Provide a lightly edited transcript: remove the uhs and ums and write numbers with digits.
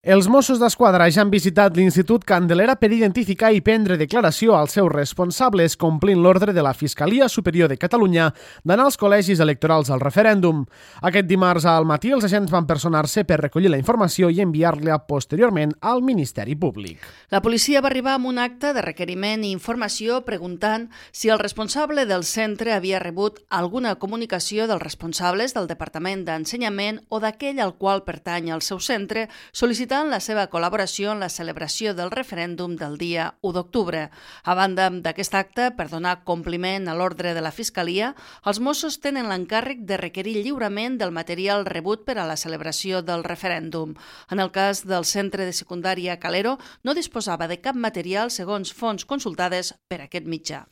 Els Mossos d'Esquadra ja han visitat l'Institut Candelera per identificar i prendre declaració als seus responsables, complint l'ordre de la Fiscalia Superior de Catalunya d'anar als col·legis electorals al referèndum. Aquest dimarts al matí els agents van personar-se per recollir la informació i enviar-la posteriorment al Ministeri Públic. La policia va arribar amb un acte de requeriment i informació preguntant si el responsable del centre havia rebut alguna comunicació dels responsables del Departament d'Ensenyament o d'aquell al qual pertany el seu centre, sol·licitant la seva col·laboració en la celebració del referèndum del dia 1 d'octubre. A banda d'aquest acte, per donar compliment a l'ordre de la Fiscalia, els Mossos tenen l'encàrrec de requerir lliurement del material rebut per a la celebració del referèndum. En el cas del centre de secundària Calero, no disposava de cap material segons fonts consultades per aquest mitjà.